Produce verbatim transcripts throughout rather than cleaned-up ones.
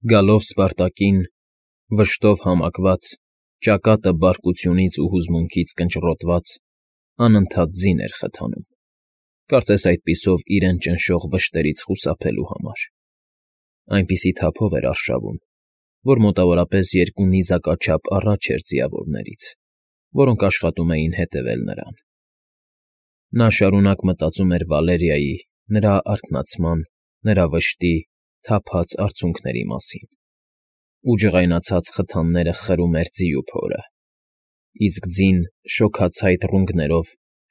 Գալով Սպարտակին, վշտով համակված, ճակատը բարկությունից ու հուզմունքից կնճռոտված, անընդհատ ձին էր խթանում, կարծես այդպիսով իրեն ճնշող վշտերից խուսափելու համար. այնպիսի թափով էր արշավում, որ մոտավորապես երկու նիզակաչափ առաջ էր ձիավորներից, որոնք աշխատում էին հետևել նրան. նա շարունակ մտածում էր Վալերիայի, նրա արթնացման, նրա վշտի, թափած արցունքների մասին, ու ջղայնացած խթանները խրում էր ձիու փորը, իսկ ձին շոգացայտ ռունգներով,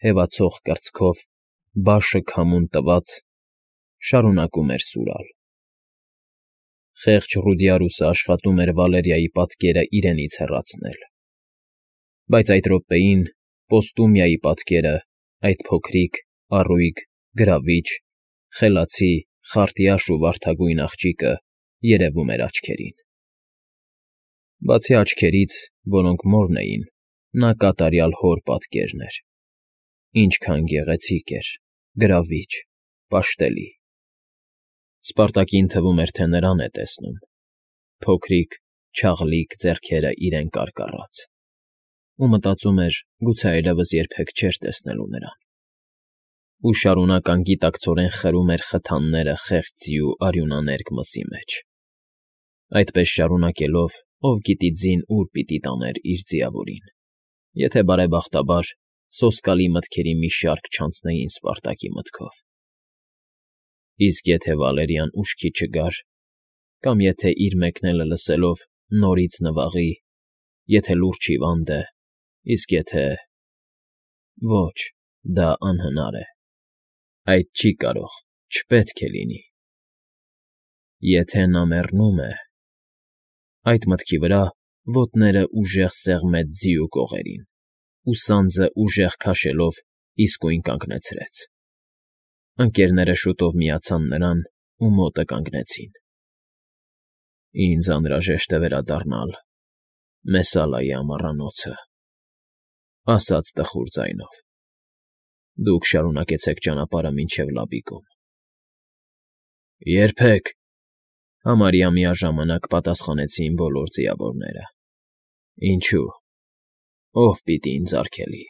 հևացող կրծքով, բաշը քամուն տված, շարունակում էր սուրալ. խեղճ Ռուդիարուսը աշխատում էր Վալերիայի պատկերը իրենից հեռացնել, բայց այդ րոպեին Պոստումիայի պատկերը, այդ փոքրիկ, առույգ, գրավիչ, խելացի, խարտյաշ ու վարդագույն աղջիկը երևում էր աչքերին. բացի աչքերից, որոնք մորն էին, նա կատարյալ հոր պատկերն էր. ինչքան գեղեցիկ էր, գրավիչ, պաշտելի. Սպարտակին թվում էր, թե նրան է տեսնում, փոքրիկ, չաղլիկ ձեռքերը իրեն կարկառած, ու մտածում էր, գուցե այլևս երբեք չէր տեսնելու նրան, ու շարունակ անգիտակցորեն խրում էր խթանները խեղճ ձիու արյունաներկ մսի մեջ. այդպես շարունակելով, ով գիտի ձին ուր պիտի տաներ իր ձիավորին, եթե բարեբախտաբար սոսկալի մտքերի մի շարք չանցնեին Սպարտակի մտքով. իսկ եթե Վալերիան ուշքի չգար, կամ եթե իր մեկնելը լսելով նորից նվաղի, եթե լուրջ հիվանդ է, իսկ եթե… ոչ, դա անհնար է, այդ չի կարող, չպետք է լինի… Եթե նա մեռնում է… Այդ մտքի վրա ոտները ուժեղ սեղմեց ձիու կողերին, ու սանձը ուժեղ քաշելով իսկույն կանգնեցրեց. ընկներները շուտով միացան նրան ու մոտը կանգնեցին։ Ինձ անհրաժեշտ է վերադառնալ Մեսալայի ամառանոցը, ասաց տխուր ձայնով, դուք շարունակեցեք ճանապարհը մինչև Լաբիկում։ Երբեք, համարյա միաժամանակ պատասխանեցին բոլոր ձիավորները։ Ինչու՞, ով պիտի ինձ արգելի։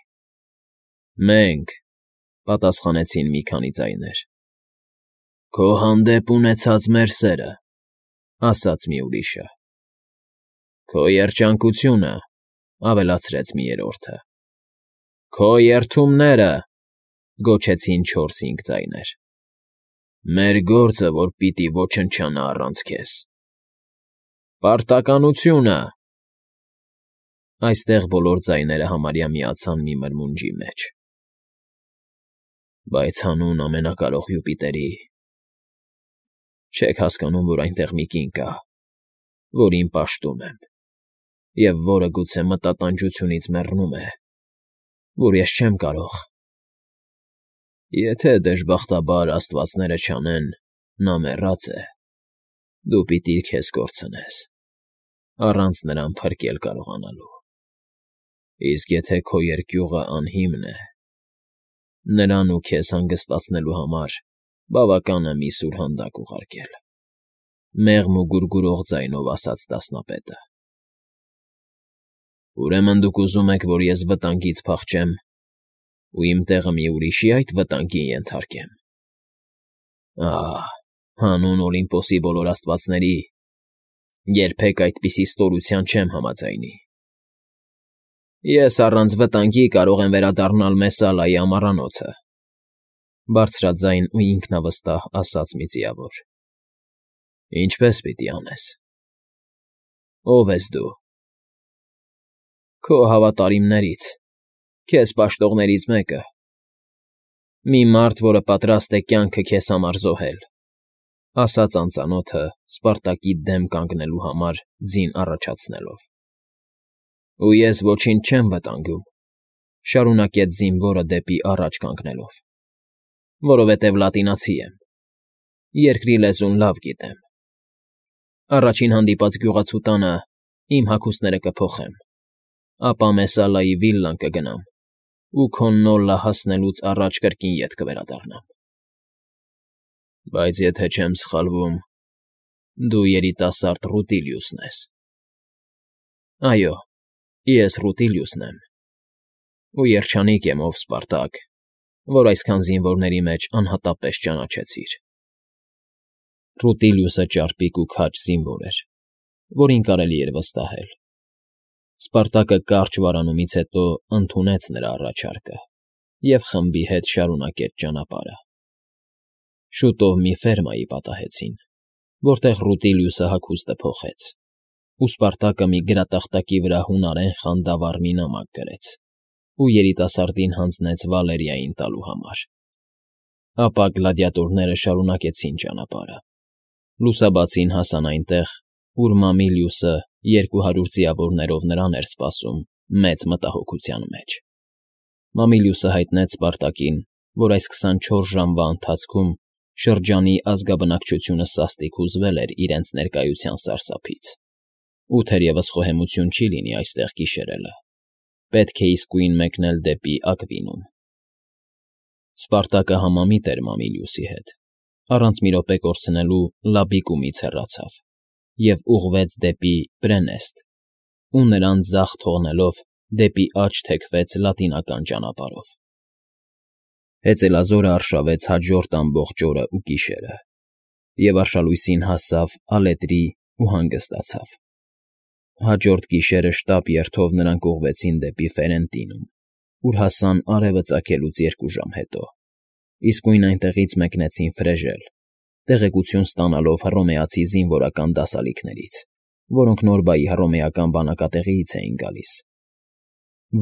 Մենք, պատասխանեցին մի քանի ձայներ։ Քո հանդեպ ունեցած մեր սերը, ասաց մի ուրիշը։ Քո երջանկությունը, ավելացրեց մի երրորդը։ Քո երդումները, գոչեցին չորս֊հինգ ձայներ։ Մեր գործը, որ պիտի ոչնչանա առանց քեզ։ Պարտականությունը… Այստեղ բոլոր ձայները համարյա միացան մի մրմունջի մեջ։ Բայց հանուն ամենակարող Յուպիտերի… Չեք հասկանում, որ այնտեղ մի կին կա, որին պաշտում եմ, և որը գուցե մտատանջությունից մեռնում է, որ ես չեմ կարող… Եթե դժբախտաբար աստվածները չանեն, նա մեռած է, դու պիտի քեզ կորցնես, առանց նրան փրկել կարողանալու… Իսկ եթե քո երկյուղը անհիմն է, նրան ու քեզ հանգստացնելու համար բավական է մի սուրհանդակ ուղարկել, մեղմ ու գուրգուրող ձայնով ասաց դասնապետը։ Ուրեմն դուք ուզում եք, որ ես վտանգից փախչեմ ու իմ տեղը մի ուրիշի այդ վտանգին ենթարկեմ… Ահ, հանուն Օլիմպոսի բոլոր աստվածների, երբեք այդպիսի ստորության չեմ համաձայնի… Ես առանց վտանգի կարող եմ վերադառնալ Մեսալայի ամառանոցը, բարձրաձայն ու ինքնավստահ ասաց մի ձիավոր։ Ինչպե՞ս պիտի անես։ Ո՞վ ես դու։ Քո հավատարիմներից, քեզ պաշտողներից մեկը, մի մարդ, որը պատրաստ է կյանքը քեզ համար զոհել, ասաց անծանոթը Սպարտակի դեմ կանգնելու համար ձին առաջացնելով։ Ու ես ոչինչ չեմ վտանգում, շարունակեց զինվորը դեպի առաջ կանգնելով, որովհետև լատինացի եմ, երկրի լեզուն լավ գիտեմ։ Առաջին հանդիպած գյուղացու տանը իմ հագուստները կփոխեմ, ապա Մեսալայի վիլլան կգնամ ու քո Նոլլա հասնելուց առաջ կրկին ետ կվերադառնամ։ Բայց եթե չեմ սխալվում, Դու երիտասարդ Ռուտիլիուսն ես։ Այո, ես Ռուտիլիուսն եմ, ու երջանիկ եմ, ով Սպարտակ, որ այսքան զինվորների մեջ անհատապես ճանաչեցիր։ Ռուտիլիուսը ճարպիկ ու քաջ զինվոր էր, որին կարելի էր վստահել։ Սպարտակը կարճ վարանումից հետո ընդունեց նրա առաջարկը և խմբի հետ շարունակեց ճանապարհը։ Շուտով մի ֆերմայի պատահեցին, որտեղ Ռուտիլիուսը հագուստը փոխեց, ու Սպարտակը մի գրատախտակի վրա հունարեն խանդավառ մի նամակ գրեց ու երիտասարդին հանձնեց Վալերիային տալու համար։ Ապա գլադիատորները շարունակեցին ճանապարհը։ Լուսաբացին հասան այնտեղ, ուր Մամիլիուսը երկու հարյուր ձիավորներով նրան էր սպասում մեծ մտահոգության մեջ։ Մամիլիուսը հայտնեց Սպարտակին, որ այս քսանչորս ժամվա ընթացքում շրջանի ազգաբնակչությունը սաստիկ հուզվել էր իրենց ներկայության սարսափից, ու թերևս խոհեմություն չի լինի այստեղ գիշերելը, պետք է իսկույն մեկնել դեպի Ակվինում։ Սպարտակը համամիտ էր Մամիլիուսի հետ, առանց մի րոպե կորցնելու Լաբիկումից հեռացավ և ուղղվեց դեպի Պրենեստ, ու նրան ձախ թողնելով դեպի աջ թեքվեց լատինական ճանապարհով։ Հեծելազորը արշավեց հաջորդ ամբողջ օրը ու գիշերը, և արշալույսին հասավ Ալետրի ու հանգստացավ։ Հաջորդ գիշերը շտապ երթով նրանք ուղղվեցին դեպի Ֆերենտինում, ուր հասան արևը ծագելուց երկու ժամ հետո, իսկույն այնտեղից մեկնեցին Ֆրեժել, տեղեկություն ստանալով հռոմեացի զինվորական դասալիքներից, որոնք Նորբայի հռոմեական բանակատեղիից էին գալիս,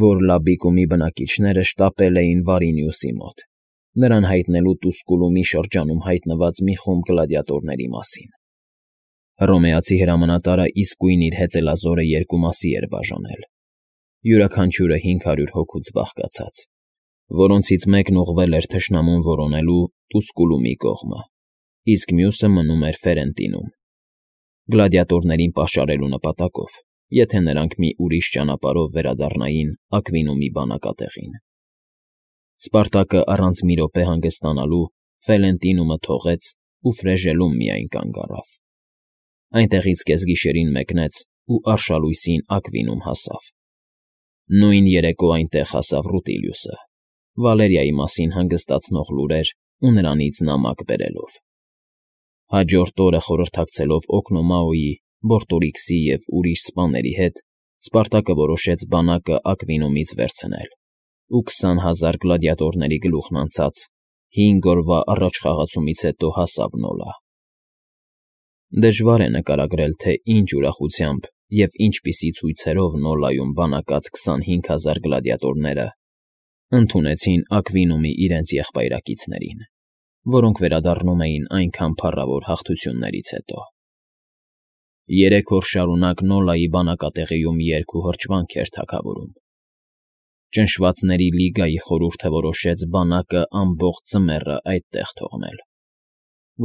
որ Լաբիկումի բնակիչները շտապել էին Վարինիուսի մոտ, նրան հայտնելու Տուսկուլումի շրջանում հայտնված մի խումբ գլադիատորների մասին։ Հռոմեացի հրամանատարը իսկույն իր հեծելազորը երկու մասի էր բաժանել, յուրաքանչյուրը հինգ հարյուր հոգուց բաղկացած, որոնցից մեկն ուղղվել էր թշնամուն որոնելու Տուսկուլումի կողմը, իսկ մյուսը մնում էր Ֆերենտինում, գլադիատորներին պաշարելու նպատակով, եթե նրանք մի ուրիշ ճանապարհով վերադառնային Ակվինումի բանակատեղին։ Սպարտակը առանց մի րոպե հանգստանալու Ֆերենտինումը թողեց ու Ֆրեժելում միայն կանգ առավ։ Այնտեղից կեսգիշերին մեկնեց ու արշալույսին Ակվինում հասավ։ Նույն երեկո այնտեղ հասավ Ռուտիլիուսը, Վալերիայի մասին հանգստացնող լուրեր ու նրանից նամակ բերելով։ Հաջորդ օրը խորհրդակցելով Օկնոմաոյի, Բորտորիքսի և ուրիշ սպաների հետ, Սպարտակը որոշեց բանակը Ակվինումից վերցնել ու քսան հազար գլադիատորների գլուխն անցած հինգ օրվա առաջխաղացումից հետո հասավ Նոլա։ Դժվար է նկարագրել, թե ինչ ուրախությամբ և ինչպիսի ցույցերով Նոլայում բանակած քսանհինգ հազար գլադիատորները ընդունեցին Ակվինումի իրենց եղբայրակիցներին, որոնք վերադառնում էին այնքան փառավոր հաղթություններից հետո։ Երեք օր շարունակ Նոլայի բանակատեղիում երգ ու հրճվանք էր թագավորում։ Ճնշվածների լիգայի խորհուրդը որոշեց բանակը ամբողջ ձմեռը այդտեղ թողնել,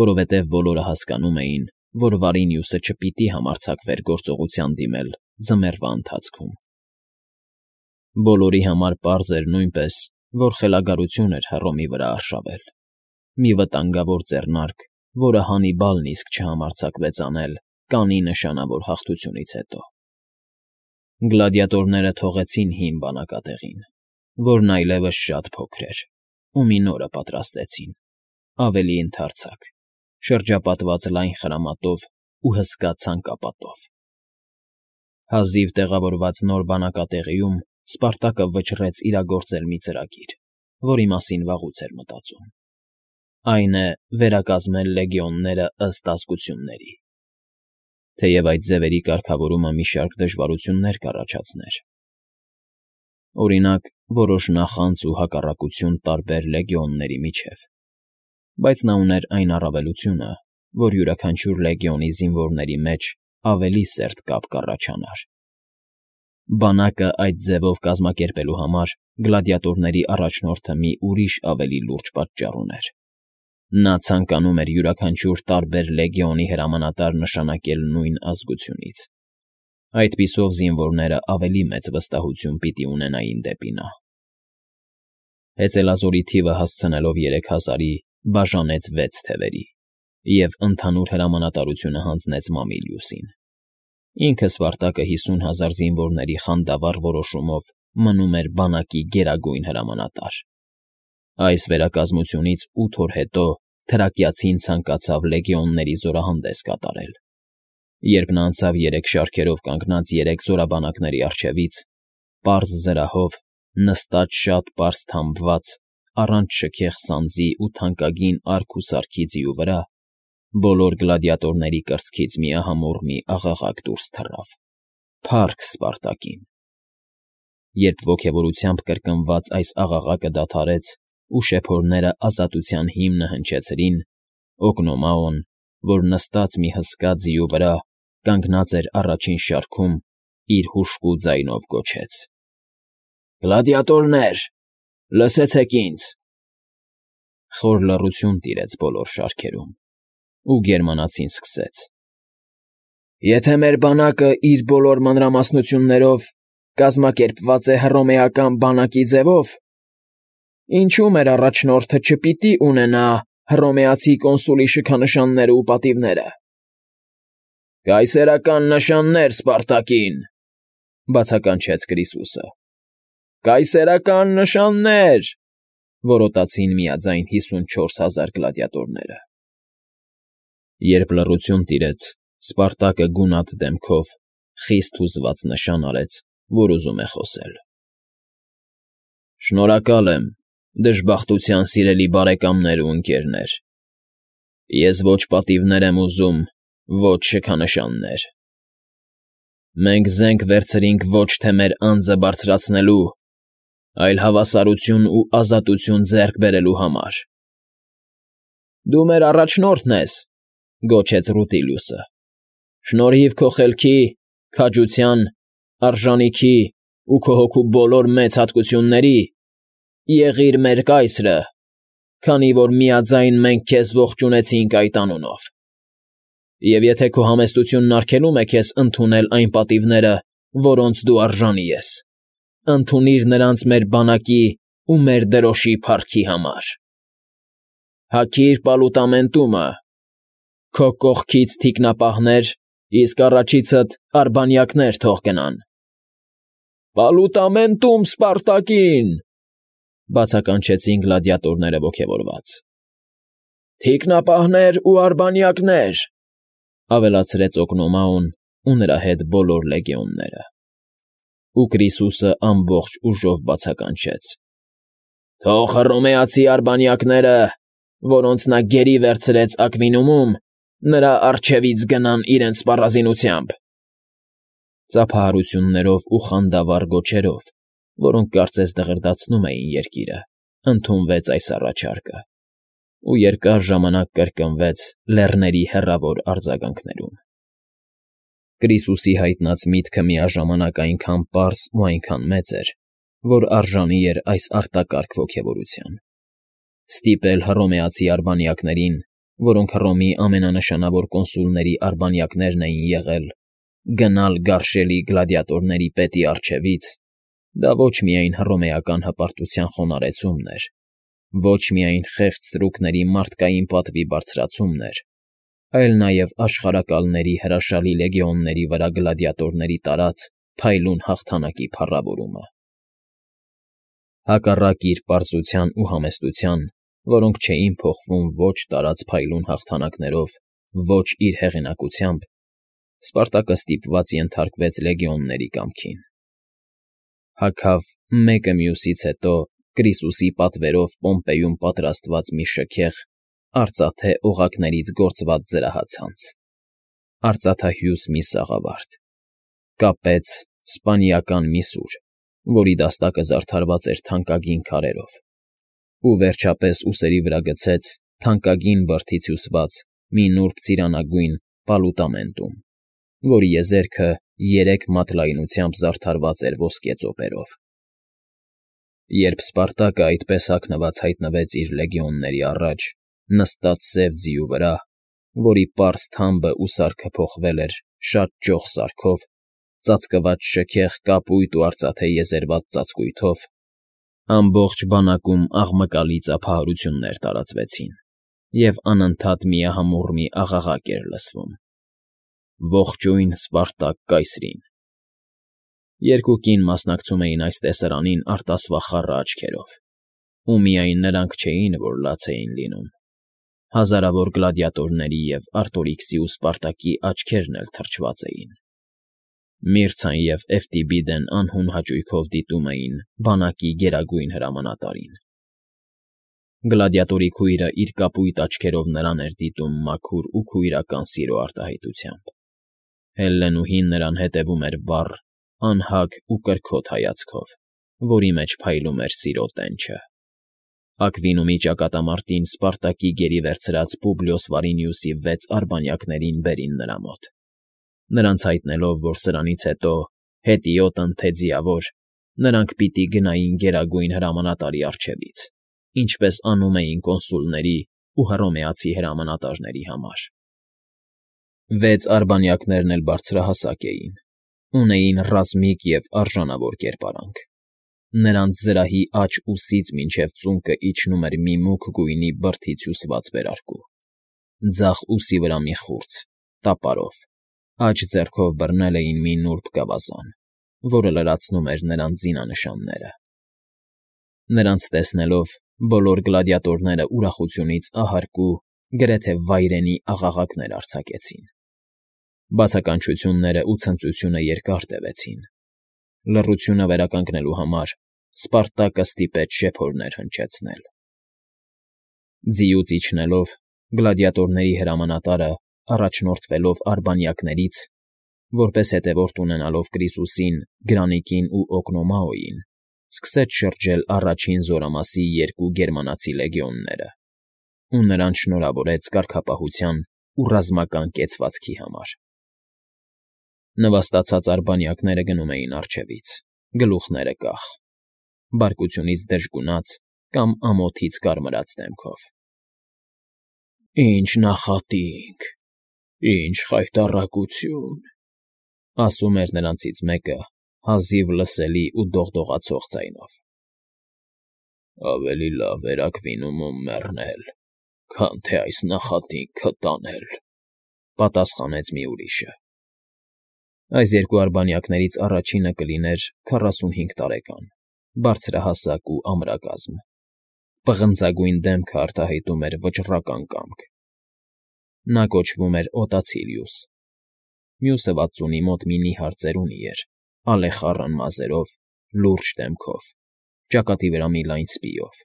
որովհետև բոլորը հասկանում էին, որ Վարինիուսը չպիտի համարձակվեր գործողության դիմել ձմեռվա ընթացքում։ Բոլորի համար պարզ էր նույնպես, որ խելագարություն էր Հռոմի վրա արշավել, մի վտանգավոր ձեռնարկ, որը Հանիբալն իսկ չհամարձակվեց անել կանի նշանավոր հաղթությունից հետո։ Գլադիատորները թողեցին հին բանակատեղին, որն այլևս շատ փոքր էր, ու մի նորը պատրաստեցին, ավելի ընդարձակ, շրջապատված լայն խրամատով ու հսկա ցանկապատով։ Հազիվ տեղավորված նոր բանակատեղիում Սպարտակը վճռեց իրագործել մի ծրագիր, որի մասին վաղուց էր մտածում։ Այն է վերակազմել լեգիոնները ըստ ազգությունների։ Թեև այդ ձևերի կարգավորումը մի շարք դժվարություններ կառաջացներ։ Օրինակ, որոշ նախանձ ու հակառակություն տարբեր լեգիոնների միջև, բայց նա ուներ այն առավելությունը, որ յուրաքանչյուր լեգիոնի զինվորների մեջ ավելի սերտ կապ կառաջանար։ Բանակը այդ ձևով կազմակերպելու համար գլադիատորների առաջնորդը մի ուրիշ ավելի լուրջ պատճառ ուներ։ Նա ցանկանում էր յուրաքանչյուր տարբեր լեգիոնի հրամանատար նշանակել նույն ազգությունից։ Այդպիսով զինվորները ավելի մեծ վստահություն պիտի ունենային դեպի նա։ Հեծելազորի թիվը հասցնելով երեք հազարի, բաժանեց վեց թևերի, և ընդհանուր հրամանատարությունը հանձնեց Մամիլիուսին։ Ինքը Սպարտակը հիսուն հազար զինվորների խանդավառ որոշումով մնում էր բանակի գերագույն հրամանատար։ Այս վերակազմությունից ութ օր հետո թրակիացին ցանկացավ լեգիոնների զորահանդես կատարել։ Երբ նա անցավ երեք շարքերով կանգնած երեք զորաբանակների առջևից, պարզ զրահով, նստած շատ պարզ թամբված, առանց շքեղ սանձի ու թանկագին արք ու սարքի ձիու վրա, բոլոր գլադիատորների կրծքից միահամուռ մի աղաղակ դուրս թռավ. «Փա՜ռք Սպարտակին»։ Երբ ոգևորությամբ կրկնված այս աղաղակը դադարեց ու շեփորները ազատության հիմնը հնչեցրին, Օգնոմաոն, որ նստած մի հսկա ձիու վրա կանգնած էր առաջին շարքում, իր հուժկու ձայնով գոչեց. «Գլադիատորնե՛ր, լսեցեք ինձ»։ Խոր լռություն տիրեց բոլոր շարքերում, ու գերմանացին սկսեց. «Եթե մեր բանակը իր բոլոր մանրամասնություններով կազմակերպված է հռոմեական բանակի ձևով, ինչո՞ւ մեր առաջնորդը չպիտի ունենա հռոմեացի կոնսուլի շքանշաններն ու պատիվները»։ «Կայսերական նշաններ Սպարտակին», բացականչեց Կրիսուսը։ «Կայսերական նշաններ», որոտացին միաձայն հիսունչորս հազար գլադիատորները։ Երբ լռություն տիրեց, Սպարտակը գունատ դեմքով խիստ հուզված նշան արեց, որ ուզում է խոսել։ «Շնորհակալ եմ, դժբախտության սիրելի բարեկամներ ու ընկերներ։ Ես ոչ պատիվներ եմ ուզում, ոչ շքանշաններ։ Մենք զենք վերցրինք ոչ թե մեր անձը բարձրացնելու, այլ հավասարություն ու ազատություն ձեռք բերելու համար»։ «Դու մեր առաջնորդն ես», գոչեց Ռուտիլիուսը։ «Շնորհիվ քո խելքի, քաջության, արժանիքի ու քո հոգու բոլոր մեծ հատկությունների, եղիր մեր կայսրը, քանի որ միաձայն մենք քեզ ողջունեցինք այդ անունով։ Եվ եթե քո համեստությունն արգելում է քեզ ընդունել այն պատիվները, որոնց դու արժանի ես, ընդունիր նրանց մեր բանակի ու մեր դրոշի փառքի համար։ Հագիր պալուտամենտումը, քո կողքից թիկնապահներ, իսկ առաջիցդ արբանյակներ թող գնան»։ «Պալուտամենտում Սպարտակին», բացականչեցին գլադիատորները ոգևորված։ «Թիկնապահներ ու արբանյակներ», ավելացրեց Օգնոմաոն ու նրա հետ բոլոր լեգիոնները։ Ու Կրիսուսը ամբողջ ուժով բացականչեց. «Թող հռոմեացի արբանյակները, որոնց նա գերի վերցրեց Ակվինումում, նրա առջևից գնան իրենց սպառազինությամբ»։ Ծափահարություններով ու խանդավառ գոչերով, որոնք կարծես դղրդացնում էին երկիրը, ընդունվեց այս առաջարկը, ու երկար ժամանակ կրկնվեց լեռների հեռավոր արձագանքներում։ Կրիսուսի հայտնած միտքը միաժամանակ այնքան պարզ ու այնքան մեծ էր, որ արժանի էր այս արտակարգ ոգևորության։ Ստիպել հռոմեացի արբանյակներին, որոնք Հռոմի ամենանշանավոր կոնսուլների արբանյակներն էին եղել, գնալ գարշելի գլադիատորների պետի առջևից, դա ոչ միայն հռոմեական հպարտության խոնարհեցումն էր, ոչ միայն խեղճ ստրուկների մարդկային պատվի բարձրացումն էր, այլ նաև աշխարհակալների հրաշալի լեգիոնների վրա գլադիատորների տարած փայլուն հաղթանակի փառավորումը։ Հակառակ իր պարզության ու համեստության, որոնք չէին փոխվում ոչ տարած փայլուն հաղթանակներով, ոչ իր հեղինակությամբ, Սպարտակը ստիպված ենթարկվեց լեգիոնների կամքին։ Հագավ մեկը մյուսից հետո Կրիսուսի պատվերով Պոմպեյում պատրաստված մի շքեղ, արծաթե օղակներից գործված զրահացանց, արծաթահյուս մի սաղավարտ, կապեց սպանիական մի սուր, որի դաստակը զարդարված էր թանկագին քարերով, ու վերջապես ուսերի վրա գցեց թանկագին բրդից հյուսված մի նուրբ ծիրանագույն պալուտամենտում, որի եզերքը երեք մատ լայնությամբ զարդարված էր ոսկե ծոպերով։ Երբ Սպարտակը այդպես հագնված հայտնվեց իր լեգիոնների առաջ, նստած սև ձիու վրա, որի պարզ թամբը ու սարքը փոխվել էր շատ ճոխ սարքով, ծածկված շքեղ կապույտ ու արծաթե եզերված ծածկույթով, ամբողջ բանակում աղմկալի ծափահարություններ տարածվեցին, և անընդհատ միահամուռ մի աղաղակ էր լսվում. «Ողջույն Սպարտակ կայսրին»։ Երկու կին մասնակցում էին այս տեսարանին արտասվաղ խառը աչքերով, ու միայն նրանք չէին, որ լաց էին լինում. հազարավոր գլադիատորների և Արտորիքսի ու Սպարտակի աչքերն էլ թրջված էին։ Միրցան և Էվտիբիդեն անհուն հաճույքով դիտում էին բանակի գերագույն հրամանատարին։ Գլադիատորի քույրը իր կապույտ աչքերով նրան էր դիտում մաքուր ու քույրական սիրո արտահայտությամբ։ Հելլենուհին նրան հետևում էր վառ, անհագ ու կրքոտ հայացքով, որի մեջ փայլում էր սիրո տենչը։ Ակվինումի ճակատամարտին Սպարտակի գերի վերցրած Պուբլիոս Վարինիուսի վեց արբանյակներին բերին նրա մոտ, նրանց հայտնելով, որ սրանից հետո, հետիոտն թե ձիավոր, նրանք պիտի գնային գերագույն հրամանատարի առջևից, ինչպես անում էին կոնսուլների ու հռոմեացի հրամանատարների համար։ Վեց արբանյակներն էլ բարձրահասակ էին, ունեին ռազմիկ և արժանավոր կերպարանք։ Նրանց զրահի աջ ուսից մինչև ծունկը իջնում էր մի մուգ գույնի բրդից հյուսված վերարկու, ձախ ուսի վրա մի խուրձ, տապարով, աջ ձեռքով բռնել էին մի նուրբ գավազան, որը լրացնում էր նրանց զինանշանները։ Նրանց տեսնելով, բոլոր գլադիատորները ուրախությունից ահարկու, գրեթե վայրենի աղաղակներ արձակեցին։ Բացականչությունները ու ցնծությունը երկար տևեցին։ Լռությունը վերականգնելու համար Սպարտակը ստիպեց շեփորներ հնչեցնել։ Ձիուց իջնելով, գլադիատորների հրամանատարը, առաջնորդվելով արբանյակներից, որպես հետևորդ ունենալով Կրիսուսին, Գրանիկին ու Օկնոմաոյին, սկսեց շրջել առաջին զորամասի երկու գերմանացի լեգիոնները ու նրանց շնորհավորեց կարգապահության ու ռազմական կեցվածքի համար։ Նվաստացած արբանյակները գնում էին առջևից, գլուխները կախ, բարկությունից դժգունած կամ ամոթից կարմրած դեմքով։ «Ինչ նախատինք, ինչ խայտառակություն», ասում էր նրանցից մեկը հազիվ լսելի ու դողդողացող ձայնով։ «Ավելի լավ էր Ակվինումում մեռնել, քան թե այս նախատինքը տանել», պատասխանեց մի ուրիշը։ Այս երկու արբանյակներից առաջինը կլիներ քառասունհինգ տարեկան, բարձրահասակ ու ամրակազմ, պղնձագույն դեմքը արտահայտում էր վճռական կամք։ Նա կոչվում էր Օտացիլիուս։ Մյուսը վաթսունի մոտ մի նիհար ծերունի էր, ալեխառն մազերով, լուրջ դեմքով, ճակատի վրա մի լայն սպիով,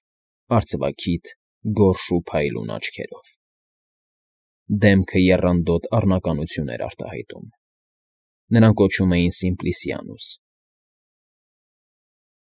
արծվաքիթ, գորշ ու փայլուն աչքերով։ Դեմքը եռանդոտ առնականություն էր արտահայտում։ Նրան կոչում էին Սիմպլիսիանուս,